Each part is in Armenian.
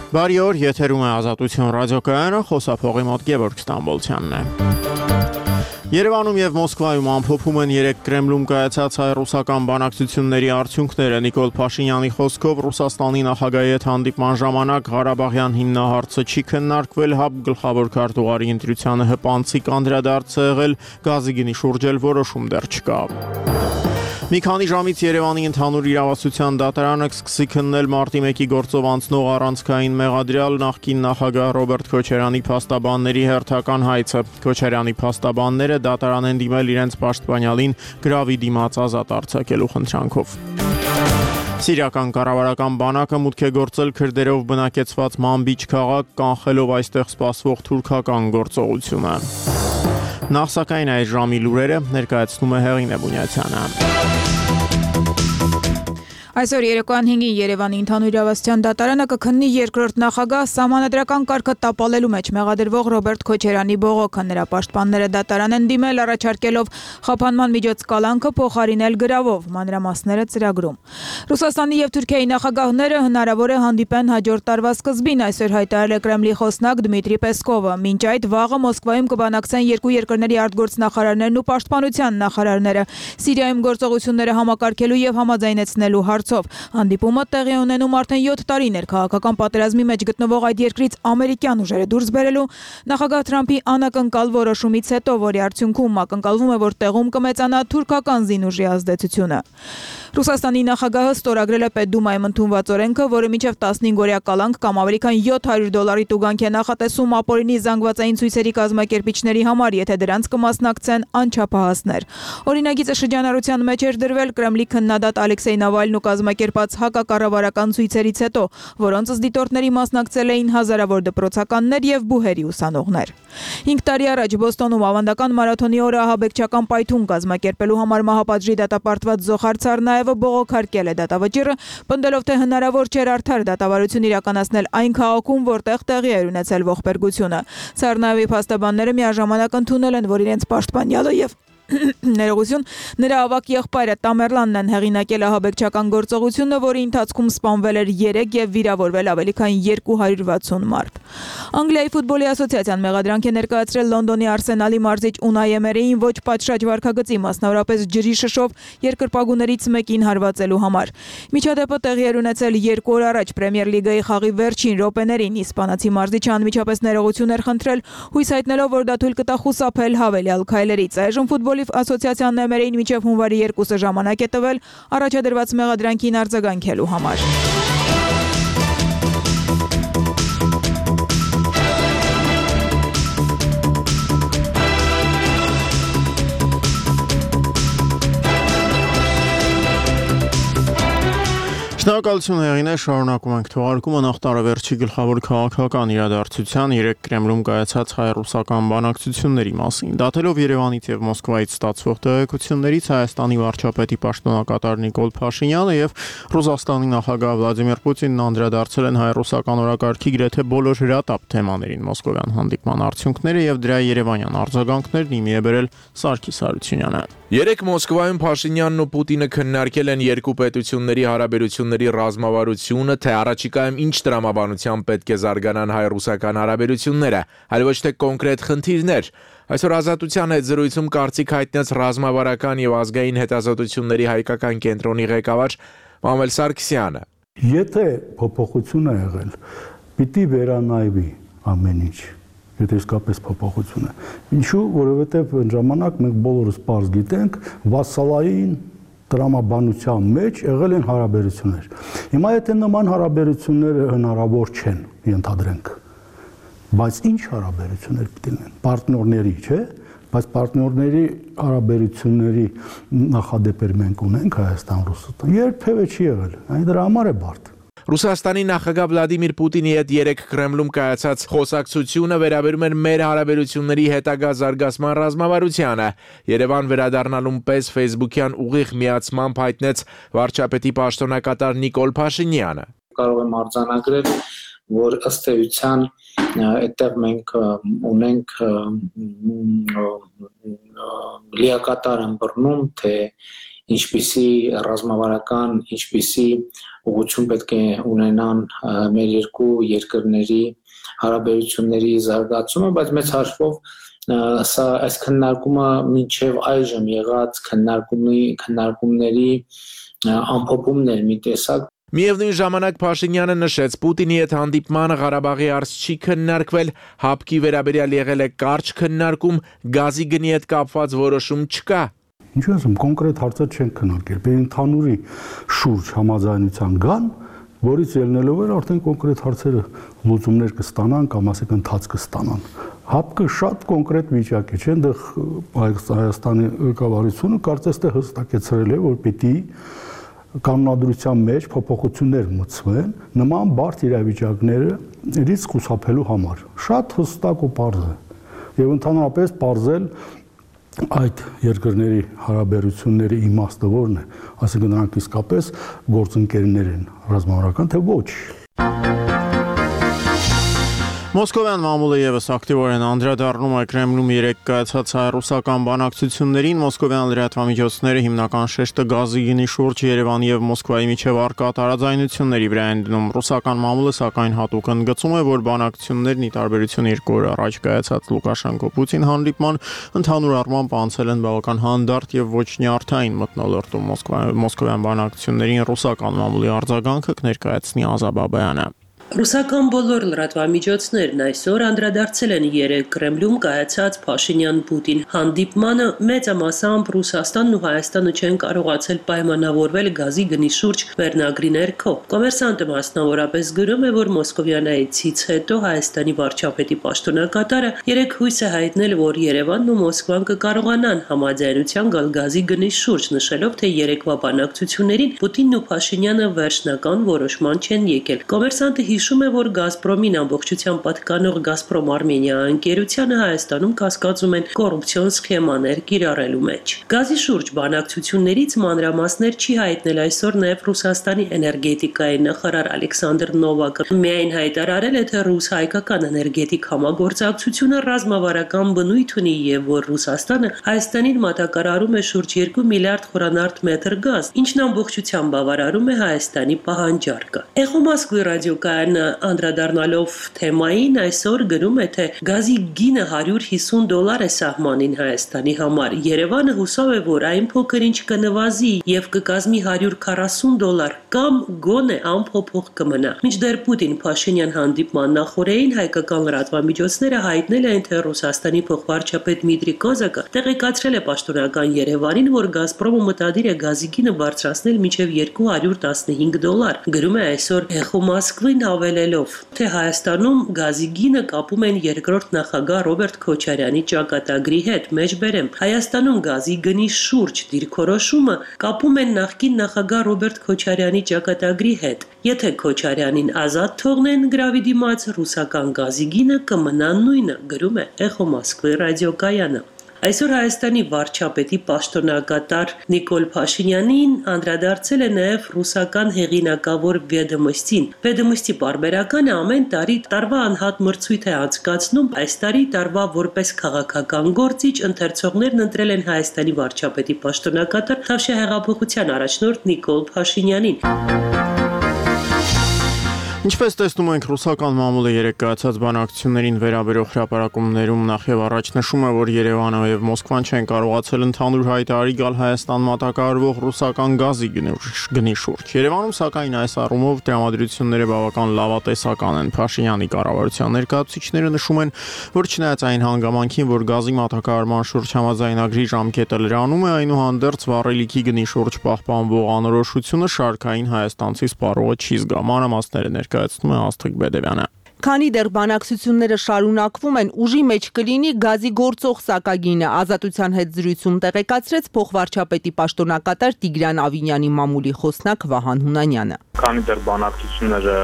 Բարի օր, եթերում է Ազատություն ռադիոկայանը, խոսափողի մոտ Գևորգ Ստամբոլցյանն է։ Երևանում եւ Մոսկվայում ամփոփում են 3 Կրեմլում կայացած հայ-ռուսական բանակցությունների արդյունքները։ Նիկոլ Փաշինյանի խոսքով Ռուսաստանի նախագահի հետ հանդիպման ժամանակ Ղարաբաղյան հիմնահարցը չի քննարկվել, ՀԱԲ գլխավոր քարտուղարի ընտրությանը հպանցիկ անդրադարձ է եղել, գազի գնի շուրջ էլ որոշում դեռ չկա։ Մի քանի ժամից Երևանի ընդհանուր իրավասության դատարանը կսկսի քննել մարտի 1-ի գործով անցնող առանցքային մեղադրյալ նախկին նախագահ Ռոբերտ Քոչարյանի փաստաբանների հերթական հայցը։ Քոչարյանի փաստաբանները դատարան են դիմել իրենց պաշտպանյալին գրավի դիմաց ազատ արձակելու խնդրանքով։ Սիրիական կառավարական բանակը մուտք է գործել քրդերով բնակեցված Մանբիջ քաղաք, կանխելով այստեղ սպասվող թուրքական գործողությունը։ Նախ սակայն այս ժամի լուրերը ներկայացնում է Հեղինե Բունյացյանը։ Այսօր երեկոյան 5-ին Երևանի ընդհանուր իրավասության դատարանը կքննի երկրորդ նախագահ սահմանադրական կարգը տապալելու մեջ մեղադրվող Ռոբերտ Քոչարյանի բողոքը։ Նրա պաշտպանները դատարան են դիմել առաջարկելով խափանման միջոց կալանքը փոխարինել գրավով, մանրամասները ծրագրում։ Ռուսաստանի եւ Թուրքիայի նախագահները հնարավոր է հանդիպեն հաջորդ տարվա սկզբին, այսօր հայտարարել է Կրեմլի խոսնակ Դմիտրի Պեսկովը։ Մինչ այդ վաղը Մոսկվայում կբանակցեն երկու երկրների արտգործնախարարներն ու պաշտպանության նախարարները Սիրիայում գործողությունները համակարգելու եւ համաձայնեցնելու հարցով։ Հանդիպումը տեղի ունենում արդեն 7 տարիներ քաղաքական պատերազմի մեջ գտնվող այդ երկրից ամերիկյան ուժերը դուրս բերելու նախագահ Թրամփի անակնկալ որոշումից հետո, որի արդյունքում ակնկալվում է, որ տեղում կմեծանա թուրքական զինուժի ազդեցությունը։ Ռուսաստանի նախագահը ստորագրել է Պետդումայում ընդունված օրենքը, որը մինչև 15-օրյա կալանք կամ ավելի քան $700 տուգանք է նախատեսում ապօրինի զանգվածային ցույցերի կազմակերպիչների համար, եթե դրանց կմասնակցեն անչափահասներ։ Օրինագիծը շրջանառության մեջ էր դրվել Կրեմլի քննադատ Ալեքսեյ Նավալնու կազմակերպած հակակառավարական ցույցերից հետո, որոնց դիտորդների մասնակցել էին հազարավոր դպրոցականներ եւ բուհերի ուսանողներ։ 5 տարի առաջ Բոստոնում ավանդական մարաթոնի օրը ահաբեկչական պայթուն կազմակերպելու համար մահապատժի դատապարտված Զոխար Ցարնաևը բողոքարկել է դատավճիռը, պնդելով, թե հնարավոր չէր արդար դատավարություն իրականացնել այն քաղաքում, որտեղ տեղի էր ունեցել ողբերգությունը։ Ցարնաևի փաստաբանները միաժամանակ ընդունել են, որ իրենց պաշտպանյալը եւ ներողություն, նրա ավակ եղբայրը Տամերլանն են հեղինակել ահաբեկչական գործողությունը, որի ընթացքում սպանվել էր 3 եւ վիրավորվել ավելի քան 260 մարդ։ Անգլիայի ֆուտբոլի ասոցիացիան մեղադրանք է ներկայացրել Լոնդոնի Արսենալի մարզիչ Ունայ Էմերիին ոչ պատշաճ վարքագծի, մասնավորապես ջրի շշով երկրպագուներից մեկին հարվածելու համար։ Միջադեպը տեղի էր ունեցել 2 օր առաջ Պրեմիեր լիգայի խաղի վերջին րոպեներին։ Իսպանացի մարզիչը անմիջապես ներողություն էր խնդրել, հույս հայտնելով, որ դա թույլ կտա խուսափել հավելյալ քայլերից։ Այժմ ֆուտբոլի ասոցիացիան Էմերիին մինչև հունվարի 2-ը ժամանակ է տվել առաջադրված մեղադրանքին արձագանքելու համար։ Շնորհակալություն Հեղինե, շարունակում ենք թողարկումը նախ տարեվերջի գլխավոր քաղաքական իրադարձության 3 Կրեմլում կայացած հայ-ռուսական բանակցությունների մասին։ Դատելով Երևանից եւ Մոսկվայից ստացվող տեղեկություններից Հայաստանի վարչապետի պաշտոնակատար Նիկոլ Փաշինյանը եւ Ռուսաստանի նախագահ Վլադիմիր Պուտինն անդրադարձել են հայ-ռուսական օրակարգի գրեթե բոլոր հրատապ թեմաներին։ Մոսկովյան հանդիպման արդյունքները եւ դրա երևանյան արձագանքներն իմի է բերել Սարգիս Հարությունյանը։ 3 Մոսկվայում Փաշինյանն ու Պուտինը քննարկել են երկու պետությունների հարաբերությունների ռազմավարությունը, թե առաջիկայում ինչ տրամաբանությամբ պետք է զարգանան հայ-ռուսական հարաբերությունները, այլ ոչ թե կոնկրետ խնդիրներ։ Այսօր Ազատության հետ զրույցում կարծիք հայտնեց ռազմավարական եւ ազգային հետազոտությունների հայկական կենտրոնի ղեկավար Մամել Սարգսյանը։ Եթե փոփոխություն է եղել, պիտի վերանայվի ամեն ինչ։ Եթե իսկապես փոփոխություն է։ Ինչու, որովհետև այն ժամանակ մենք բոլորս պարզ գիտենք, վասալային տրամաբանության մեջ եղել են հարաբերություններ։ Հիմա եթե նման հարաբերությունները հնարավոր չեն, ենթադրենք, բայց ինչ հարաբերություններ պիտի լինեն։ Պարտներների, չէ՞, բայց պարտներների հարաբերությունների նախադեպեր մենք ունենք Հայաստան-Ռուսաստան։ Երբևէ չի եղել։ Այն դրա համար է բարդ։ Ռուսաստանի նախագահ Վլադիմիր Պուտինի հետ 3 Կրեմլում կայացած խոսակցությունը վերաբերում էր մեր հարաբերությունների հետագա զարգացման ռազմավարությանը։ Երևան վերադառնալուն պես Facebook-յան ուղիղ միացմամբ հայտնեց վարչապետի պաշտոնակատար Նիկոլ Փաշինյանը։ Կարող եմ արձանագրել, որ ըստ էության այդտեղ մենք ունենք լիակատար ըմբռնում, թե ինչպիսի ռազմավարական, ինչպիսի ուղղություն պետք է ունենան մեր երկու երկրների հարաբերությունների զարգացումը, բայց մեծ հաշվով սա այս քննարկումը մինչև այժմ եղած քննարկումների ամփոփումներ մի տեսակ Միևնույն ժամանակ Փաշինյանը նշեց Պուտինի հետ հանդիպմանը Ղարաբաղի հարց չի քննարկվել, հապկի վերաբերյալ եղել է կարճ քննարկում, գազի գնի հետ կապված որոշում չկա։ Ինչու ասում, կոնկրետ հարցեր չեն քննարկել, բեր ընդհանուրի շուրջ համաձայնության գան, որից ելնելով էր արդեն կոնկրետ հարցերը լուծումներ կստանան կամ ասենք ընթաց կստանան։ Հապկը շատ կոնկրետ վիճակ է, չէ՞, այնտեղ Հայաստանի կառավարությունը կարծես թե հստակեցրել է, որ պիտի կանոնադրության մեջ փոփոխություններ մտցվեն նման բարդ իրավիճակներից խուսափելու համար։ Շատ հստակ ու պարզ է։ Եվ ընդհանրապես պարզել այդ երկրների հարաբերությունների իմաստը որն է, ասենք նրանք իսկապես գործընկերներ են ռազմավարական, թե ոչ։ Մոսկովյան մամուլը եւս ակտիվորեն անդրադառնում է Կրեմլում երեկ կայացած հայ-ռուսական բանակցություններին, մոսկովյան լրատվամիջոցները հիմնական շեշտը գազի գնի շուրջ Երևանի եւ Մոսկվայի միջև առկա տարաձայնությունների վրա են դնում։ Ռուսական մամուլը սակայն հատուկ ընդգծում է, որ բանակցություններն ի տարբերություն 2 օր առաջ կայացած Լուկաշենկո-Պուտին հանդիպման ընդհանուր առմամբ անցել են բավական հանդարտ եւ ոչ նյարդային մթնոլորտում։ Մոսկովյան բանակցություններին ռուսական մամուլի արձագանքը կներկայացնի Ազա Բաբայանը։ Ռուսական բոլոր լրատվամիջոցներն այսօր անդրադարձել են երեկ Կրեմլում կայացած Փաշինյան-Պուտին հանդիպմանը, մեծամասամբ Ռուսաստանն ու Հայաստանը չեն կարողացել պայմանավորվել գազի գնի շուրջ վերնագրի ներքո։ Կոմերսանտը մասնավորապես գրում է, որ մոսկովյան այցից հետո Հայաստանի վարչապետի պաշտոնակատարը երեկ հույս է հայտնել, որ Երևանն ու Մոսկվան կկարողանան համաձայնության գալ գազի գնի շուրջ, նշելով, թե երեկվա բանակցություններին Պուտինն ու Փաշինյանը վերջնական որոշման չեն եկել։ Կոմերսանտը հիշում է, որ Գազպրոմին ամբողջությամբ պատկանող Գազպրոմ Արմենիա ընկերությանը Հայաստանում կասկածում են կոռուպցիոն սխեմաներ կիրառելու մեջ։ Գազի շուրջ բանակցություններից մանրամասներ չի հայտնել այսօր նաև Ռուսաստանի էներգետիկայի նախարար Ալեքսանդր Նովակը։ Միայն հայտարարել է, թե ռուս-հայկական էներգետիկ համագործակցությունը ռազմավարական բնույթ ունի եւ որ Ռուսաստանը Հայաստանին մատակարարում է շուրջ 2 միլիարդ խորանարդ մետր գազ, ինչն ամբողջությամբ բավարարում է Հայաստանի պահանջարկը։ Էխո Մոսկվի ռադիոկայանը անդրադառնալով թեմային այսօր գրում է, թե գազի գինը $150 է սահմանին Հայաստանի համար։ Երևանը հուսով է, որ այն փոքր-ինչ կնվազի եւ կկազմի $140 կամ գոնե անփոփոխ կմնա։ Մինչդեռ Պուտին-Փաշինյան հանդիպման նախօրեին հայկական լրատվամիջոցները հայտնել են, թե Ռուսաստանի փոխվարչապետ Դմիտրի Կոզակը տեղեկացրել է պաշտոնական Երևանին, որ Գազպրոմը մտադիր է գազի գինը բարձրացնել մինչև $215։ Գրում է այսօր Էխո Մոսկվին հավելելով, թե Հայաստանում գազի գինը կապում են երկրորդ նախագահ Ռոբերտ Քոչարյանի ճակատագրի հետ։ Մեջբերեմ, Հայաստանում գազի գնի շուրջ դիրքորոշումը կապում են նախկին նախագահ Ռոբերտ Քոչարյանի ճակատագրի հետ։ Եթե Քոչարյանին ազատ թողնեն գրավի դիմաց, ռուսական գազի գինը կմնա նույնը, գրում է Էխո Մոսկվի ռադիոկայանը։ Այսօր Հայաստանի վարչապետի պաշտոնակատար Նիկոլ Փաշինյանին անդրադարձել է նաև ռուսական հեղինակավոր Վեդոմոստին։ Վեդոմոստի պարբերականը ամեն տարի տարվա անհատ մրցույթ է անցկացնում։ Այս տարի տարվա որպես քաղաքական գործիչ ընթերցողներն ընտրել են Հայաստանի վարչապետի պաշտոնակատար Թավշյա հեղափոխության առաջնորդ Նիկոլ Փաշինյանին։ Ինչպես տեսնում ենք, ռուսական մամուլը երեկ կայացած բանակցություններին վերաբերող հրապարակումներում նախ եւ առաջ նշում է, որ Երևանը եւ Մոսկվան չեն կարողացել ընդհանուր հայտարարի գալ Հայաստան մատակարարվող ռուսական գազի գնի շուրջ։ Երևանում սակայն այս առումով տրամադրությունները բավական լավատեսական են։ Փաշինյանի կառավարության ներկայացուցիչները նշում են, որ չնայած այն հանգամանքին, որ գազի մատակարարման շուրջ համաձայնագրի ժամկետը լրանում է, այնուհանդերձ վառելիքի գնի շուրջ պահպանվող անորոշությունը շարքային հայաստանցի սպառողը չի զգա։ Մանրամասները ներկայացնում է Աստղիկ Բեդևյանը։ Քանի դեռ բանակցությունները շարունակվում են, ուժի մեջ կլինի գազի գործող սակագինը, Ազատության հետ զրույցում տեղեկացրեց փոխվարչապետի պաշտոնակատար Տիգրան Ավինյանի մամուլի խոսնակ Վահան Հունանյանը։ Քանի դեռ բանակցությունները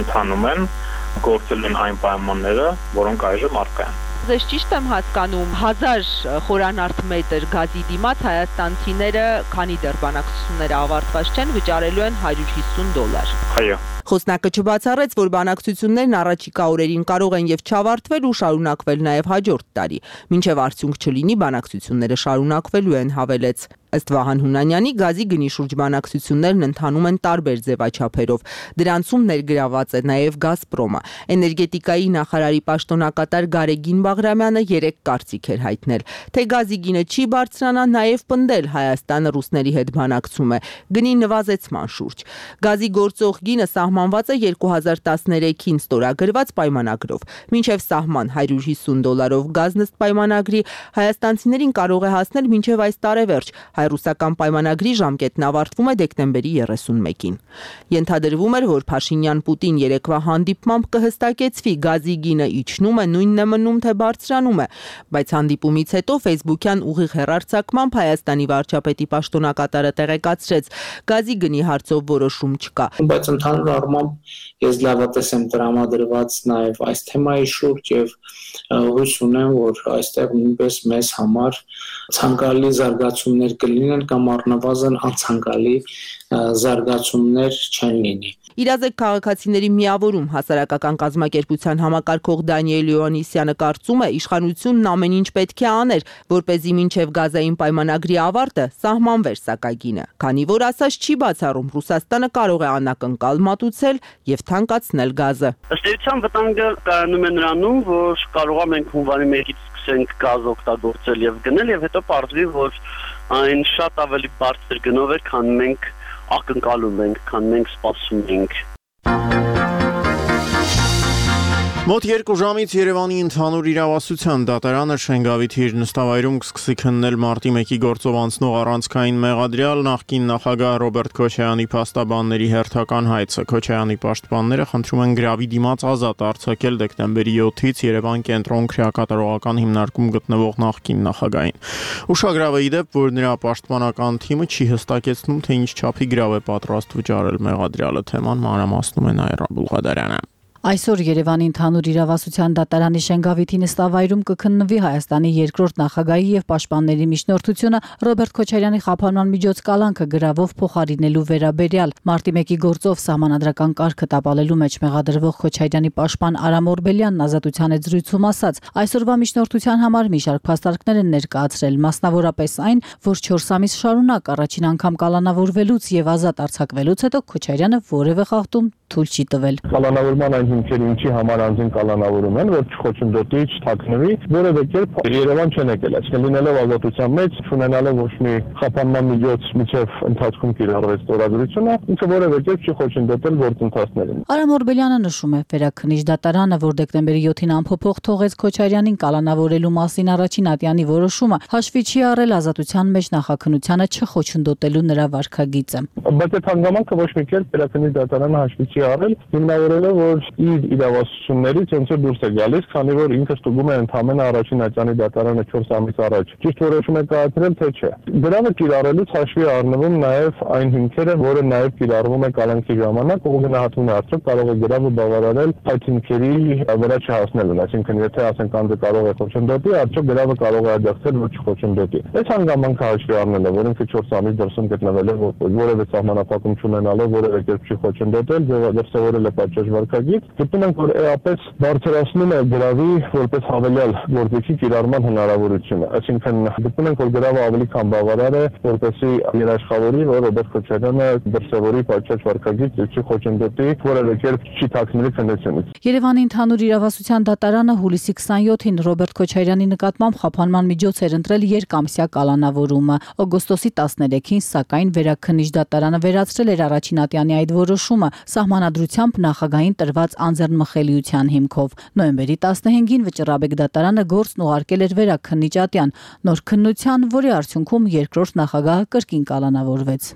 ընթանում են, գործել են այն պայմանները, որոնք այժմ առկա են։ Ձեզ ճիշտ եմ հասկանում, 1000 խորանարդ մետր գազի դիմաց հայաստանցիները, քանի դեռ բանակցությունները ավարտված չեն, վճարելու են $150։ Այո։ Խոսնակը չբացառեց, որ բանակցություններն առաջիկա օրերին կարող են եւ չավարտվել ու շարունակվել նաեւ հաջորդ տարի։ Մինչեւ արդյունք չլինի, բանակցությունները շարունակվելու են, հավելեց։ Ըստ Վահան Հունանյանի, գազի գնի շուրջ բանակցություններն ընթանում են տարբեր ձևաչափերով։ Դրանցում ներգրաված է նաև Գազպրոմը։ Էներգետիկայի նախարարի պաշտոնակատար Գարեգին Բաղրամյանը երեկ կարծիք էր հայտնել, թե գազի գինը չի բարձրանա, նաև պնդել Հայաստանը ռուսների հետ բանակցում է գնի նվազեցման շուրջ։ Գազի գործող գինը սահմանված է 2013-ին ստորագրված պայմանագրով։ Մինչև սահման $150 գազն ըստ պայմանագրի հայաստանցիներին կարող է հասնել մինչև այս տարեվերջ։ Հայ-ռուսական պայմանագրի ժամկետն ավարտվում է դեկտեմբերի 31-ին։ Ենթադրվում էր, որ Փաշինյան-Պուտին երեկվա հանդիպմամբ կհստակեցվի գազի գինը իջնում է, նույնն է մնում, թե բարձրանում է, բայց հանդիպումից հետո Facebook-յան ուղիղ հեռարձակմամբ Հայաստանի վարչապետի պաշտոնակատարը տեղեկացրեց, գազի գնի հարցով որոշում չկա։ Բայց ընդհանուր առմամբ ես լավատես եմ տրամադրված նաև այս թեմայի շուրջ եւ հույս ունեմ, որ այստեղ նույնպես մեզ համար ցանկալի զարգացումներ կլինեն կամ առնվազն անցանկալի զարգացումներ չեն լինի։ Իրազեկ քաղաքացիների միավորում հասարակական կազմակերպության համակարգող Դանիել Իոաննիսյանը կարծում է, իշխանությունն ամեն ինչ պետք է աներ, որպեսզի մինչև գազային պայմանագրի ավարտը սահմանվեր սակագինը, քանի որ ասած չի բացառում Ռուսաստանը կարող է անակնկալ մատուցել եւ թանկացնել գազը։ Ըստ էության վտանգը կայանում է նրանում, որ կարող է մենք հունվարի 1-ից սկսենք գազ օգտագործել եւ գնել եւ հետո պարզվի, որ այն շատ ավելի բարձր գնով է, քան մենք ակնկալում ենք, քան մենք սպասում ենք։ Մոտ 2 ժամից Երևանի ընդհանուր իրավասության դատարանը Շենգավիթի իր նստավայրում կսկսի քննել մարտի 1-ի գործով անցնող առանցքային մեղադրյալ նախկին նախագահ Ռոբերտ Քոչարյանի փաստաբանների հերթական հայցը։ Քոչարյանի պաշտպանները խնդրում են գրավի դիմաց ազատ արձակել դեկտեմբերի 7-ից Երևան կենտրոն քրեակատարողական հիմնարկում գտնվող նախկին նախագահին։ Ուշագրավ է ի դեպ, որ նրա պաշտպանական թիմը չի հստակեցնում, թե ինչ չափի գրավ է պատրաստ վճարել մեղադրյալը։ Թեման մանրամասնում է Նաիրա Բուլղադարյանը։ Այսօր Երևանի ընդհանուր իրավասության դատարանի Շենգավիթի նստավայրում կքննվի Հայաստանի երկրորդ նախագահի եւ պաշտպանների միջնորդությունը Ռոբերտ Քոչարյանի խափանման միջոց կալանքը գրավով փոխարինելու վերաբերյալ։ Մարտի 1-ի գործով սահմանադրական կարգը տապալելու մեջ մեղադրվող Քոչարյանի պաշտպան Արամ Օրբելյանն ազատության հետ զրույցում ասաց. այսօրվա միջնորդության համար մի շարք փաստարկներ են ներկայացրել, մասնավորապես այն, որ 4 ամիս շարունակ առաջին անգամ կալանավորվելուց եւ ազատ արձակվելուց հետո Քոչարյանը որևէ խախտում թույլ չի տվել։ Կալանավորման այն հիմքերը ինչի համար անձին կալանավորում են, որ չխոչընդոտի, չթաքնվի, որևէ կերպ Երևան չեն եկել, այսինքն լինելով ազատության մեջ, չունենալով ոչ մի խափանման միջոց միջև ընթացքում կիրառվեց ստորագրությունը, ինքը որևէ կերպ չի խոչընդոտել գործընթացներին։ Արամ Օրբելյանը նշում է, վերաքննիչ դատարանը, որ դեկտեմբերի 7-ին անփոփոխ թողեց Քոչարյանին կալանավորելու մասին առաջին ատյանի որոշումը, հաշվի չի առել ազատության մեջ նախաքննությանը չխոչընդոտելու նրա վարքագիծը։ Բայց այդ հանգամանքը ոչ մի կերպ վերաքննիչ դատարանը հաշվի չի առել, հիմնավորելով, որ իր իրավասություններից ոնց որ դուրս է գալիս, քանի որ ինքը ստուգում է ընդհանրապես առաջին ատյանի դատարանը 4 ամիս առաջ։ Ճիշտ որոշում է կայացրել, թե չէ։ Գրավը կիրառելուց հաշվի առնվում նաև այն հիմքերը, որը նաև կիրառվում է կալանքի ժամանակ, ու գնահատվում է արդյոք կարող է գրավը բավարարել այդ հիմքերի վրա չհասնելուն, այսինքն եթե ասենք անձը կարող է խոչընդոտի, արդյոք գրավը կարող է աջակցել, որ չխոչընդոտի։ Այս հանգամանքը հաշվի առնել է, որ ինքը 4 ամիս դրսում գտնվել է, որևէ սահմանափակում չունենալով, որևէ կերպ չի խոչընդոտել, դրսևորել է պատշաճ վարքագիծ, գտնում ենք, որ էապես բարձրացնում է գրավի որպես հավելյալ գործիքի կիրառման հնարավորությունը։ Այսինքն գտնում ենք, որ գրավը ավելի քան բավարար է, որպեսզի երաշխավորի, որ Ռոբերտ Քոչարյանը դրսևորի պատշաճ վարքագիծ, չի խոչընդոտի, որևէ կերպ չի թաքնվի քննությունից։ Երևանի ընդհանուր իրավասության դատարանը հուլիսի 27-ին Ռոբերտ Քոչարյանի նկատմամբ խափանման միջոց էր ընտրել երկամսյա կալանավորումը։ Օգոստոսի 13-ին, սակայն, վերաքննիչ դատարանը վերացրել էր առաջին ատյանի այդ որոշումը սահմանադրությամբ նախագահին տրված անձեռնմխելիության հիմքով։ Նոյեմբերի 15-ին Վճռաբեկ դատարանը գործն ուղարկել էր վերաքննիչ ատյան, նոր քննության, որի արդյունքում երկրորդ նախագահը կրկին կալանավորվեց։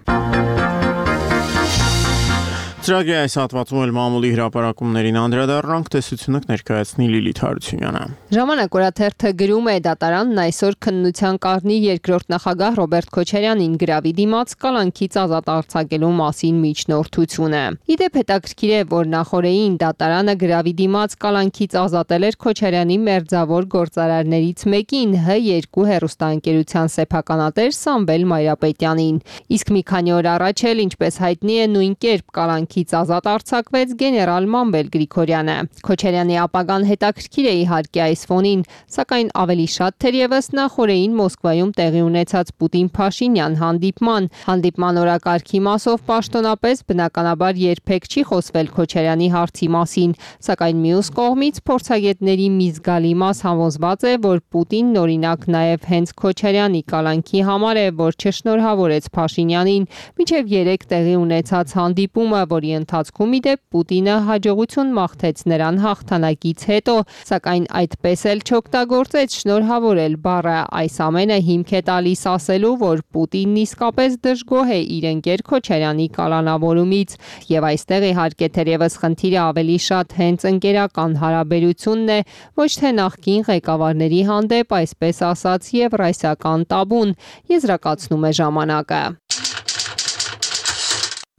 Ծրագրի այս հատվածում էլ մամուլի հրապարակումներին անդրադառնանք, տեսությունը կներկայացնի Լիլիթ Հարությունյանը։ Ժամանակ օրաթերթը գրում է դատարանն այսօր քննության կառնի երկրորդ նախագահ Ռոբերտ Քոչարյանին գրավի դիմաց կալանքից ազատ արձակելու մասին միջնորդությունը։ Իդեպ հետաքրքիր է, որ նախորդին դատարանը գրավի դիմաց կալանքից ազատել էր Քոչարյանի մերձավոր գործարարներից մեկին H2 հեռուստաընկերության սեփականատեր Սամվել Մայրապետյանին։ Իսկ մի քանի օր առաջ էլ, ինչպես հայտնի է, նույն կերպ կալանքի կալանքից ազատ արձակվեց գեներալ Մանվել Գրիգորյանը։ Քոչարյանի ապագան հետաքրքիր է իհարկե այս ֆոնին, սակայն ավելի շատ թերևս նախորդին Մոսկվայում տեղի ունեցած Պուտին-Փաշինյան հանդիպման օրակարգի մասով պաշտոնապես բնականաբար երբեք չի խոսվել Քոչարյանի հարցի մասին, սակայն մյուս կողմից փորձագետների մի զգալի մաս համոզված է, որ Պուտինն օրինակ նաև հենց Քոչարյանի կալանքի համար է, որ չշնորհավորեց Փաշինյանին, մինչև 3 տեղի ունեցած հանդիպումը, որի ընթացքում իդեպ Պուտինը հաջողություն մաղթեց նրան հաղթանակից հետո, սակայն այդպես էլ չօգտագործեց շնորհավորել բառը, այս ամենը հիմք է տալիս ասելու, որ Պուտինն իսկապես դժգոհ է իր ընկեր Քոչարյանի կալանավորումից, եւ այստեղ իհարկե թերևս խնդիրը ավելի շատ հենց ընկերական հարաբերությունն է, ոչ թե նախկին ղեկավարների հանդեպ այսպես ասած եվրասիական տաբուն, եզրակացնում է ժամանակը։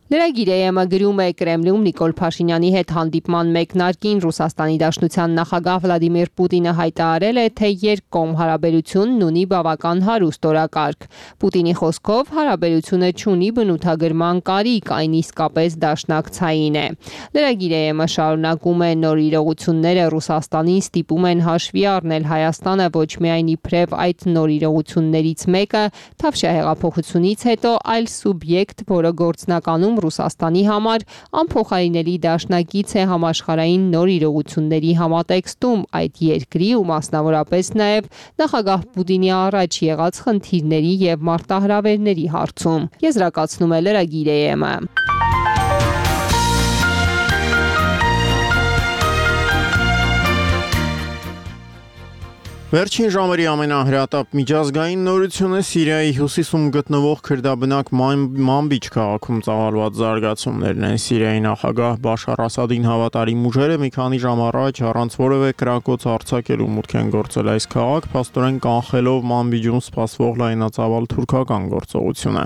Լրագիր AM-ը գրում է Կրեմլում Նիկոլ Փաշինյանի հետ հանդիպման մեկնարկին Ռուսաստանի Դաշնության նախագահ Վլադիմիր Պուտինը հայտարարել է, թե երկկողմ հարաբերությունն ունի բավական հարուստ օրակարգ։ Պուտինի խոսքով հարաբերությունը չունի բնութագրման կարիք, այն իսկապես դաշնակցային է։ Լրագիր AM-ը շարունակում է նոր իրողությունները Ռուսաստանին ստիպում են հաշվի առնել Հայաստանը ոչ միայն իբրև այդ նոր իրողություններից մեկը, Թավշյա հեղափոխությունից հետո այլ սուբյեկտ, որը գործնականում Ռուսաստանի համար անփոխարինելի դաշնակից է համաշխարհային նոր իրողությունների համատեքստում այդ երկրի ու մասնավորապես նաև նախագահ Պուտինի առաջ եղած խնդիրների եւ մարտահրավերների հարցում, եզրակացնում է լրագիր AM-ը։ Վերջին ժամերի ամենահրատապ միջազգային նորությունը Սիրիայի հյուսիսում գտնվող քրդաբնակ Մանբիջ քաղաքում ծավալված զարգացումներն են։ Սիրիայի նախագահ Բաշար Ասադին հավատարիմ ուժերը մի քանի ժամ առաջ առանց որևէ կրակոց արձակելու մուտք են գործել այս քաղաք, փաստորեն կանխելով Մանբիջում սպասվող լայնածավալ թուրքական գործողությունը։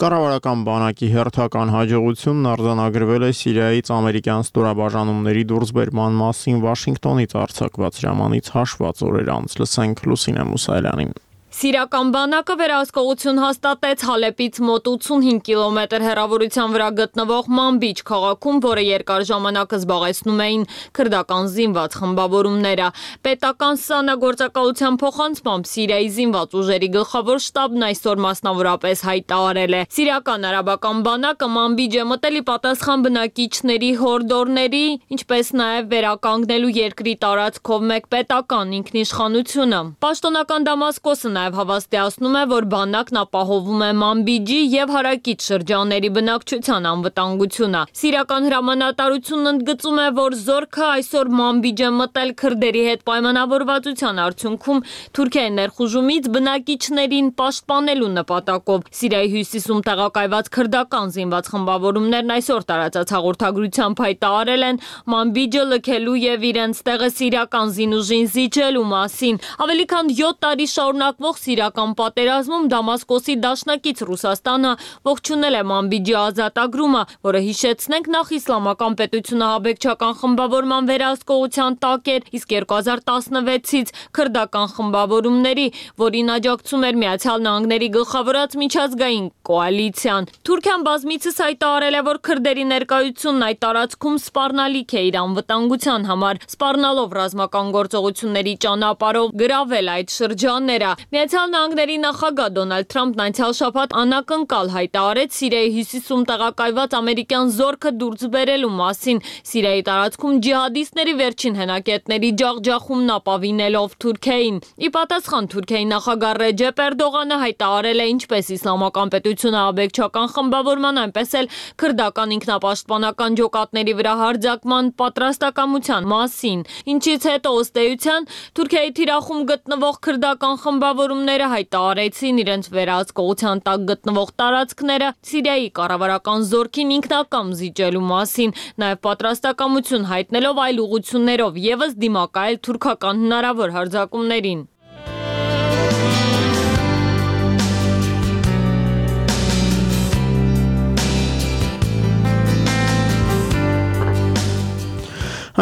Կառավարական բանակի հերթական հաջողությունն արձանագրվել է Սիրիայից ամերիկյան ստորաբաժանումների դուրսբերման մասին Վաշինգտոնից արձակված ժամանից հաշված օրեր անց։ Լսենք Լուսինե Մուսայելյանին։ Սիրիական բանակը վերահսկողություն հաստատեց Հալեպից մոտ 85 կիլոմետր հեռավորության վրա գտնվող Մանբիջ քաղաքում, որը երկար ժամանակ զբաղեցնում էին քրդական զինված խմբավորումները։ Պետական սանագործակալության փոխանցմամբ Սիրիայի զինված ուժերի գլխավոր շտաբն այսօր մասնավորապես հայտարարել է. Սիրիական արաբական բանակը Մանբիջ է մտել ի պատասխան բնակիչների հորդորների, ինչպես նաև վերականգնելու երկրի տարածքով մեկ պետական ինքնիշխանությունը։ Պաշտոնական Դամասկոսը նաև հավաստիացնում է, որ բանակն ապահովում է Մանբիջի եւ հարակից շրջանների բնակչության անվտանգությունը։ Սիրիական հրամանատարությունն ընդգծում է, որ զորքը այսօր Մանբիջ է մտել քրդերի հետ պայմանավորվածության արդյունքում Թուրքիայի ներխուժումից բնակիչներին պաշտպանելու նպատակով։ Սիրիայի հյուսիսում տեղակայված քրդական զինված խմբավորումներն այսօր տարածած հաղորդագրությամբ հայտարարել են Մանբիջը լքելու եւ իրենց տեղը սիրիական զինուժին զիջելու մասին։ Ավելի քան 7 տարի շարունակվող սիրիական պատերազմում Դամասկոսի դաշնակից Ռուսաստանը ողջունել է Մանբիջի ազատագրումը, որը հիշեցնենք նախ իսլամական պետությունը հաբեկչական խմբավորման վերահսկողության տակ էր, իսկ 2016-ից քրդական խմբավորումների, որին աջակցում էր Միացյալ Նահանգների գլխավորած միջազգային կոալիցիան։ Թուրքիան բազմիցս հայտարարել է, որ քրդերի ներկայությունն այդ տարածքում սպառնալիք է իր անվտանգության համար, սպառնալով ռազմական գործողությունների ճանապարհով գրավել այդ շրջանները։ Միացյալ Նահանգների նախագահ Դոնալդ Թրամփն անցյալ շաբաթ անակնկալ հայտարարեց Սիրիայի հյուսիսում տեղակայված ամերիկյան զորքը դուրս բերելու մասին, Սիրիայի տարածքում ջիհադիստների վերջին հենակետների ջախջախումն ապավինելով Թուրքիային։ Ի պատասխան Թուրքիայի նախագահ Ռեջեփ Էրդողանը հայտարարել է ինչպես իսլամական պետությունը աբեկչական խմբավորման, այնպես էլ քրդական ինքնապաշտպանական ջոկատների վրա հարձակման պատրաստակամության մասին, ինչից հետո ըստ էության Թուրքիայի թիրախում գտնվող քրդական խմբավորումները հայտարարեցին իրենց վերահսկողության տակ գտնվող տարածքները Սիրիայի կառավարական զորքին ինքնակամ զիջելու մասին, նաև պատրաստակամություն հայտնելով այլ ուղղություններով ևս դիմակայել թուրքական հնարավոր հարձակումներին։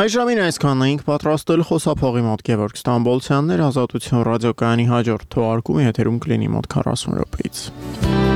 Այժմին այսքանն էինք պատրաստել խոսափողի մոտ Գևորգ Ստամբոլցյանն էր, Ազատություն ռադիոկայանի հաջորդ թողարկումը եթերում կլինի մոտ 40 րոպեից։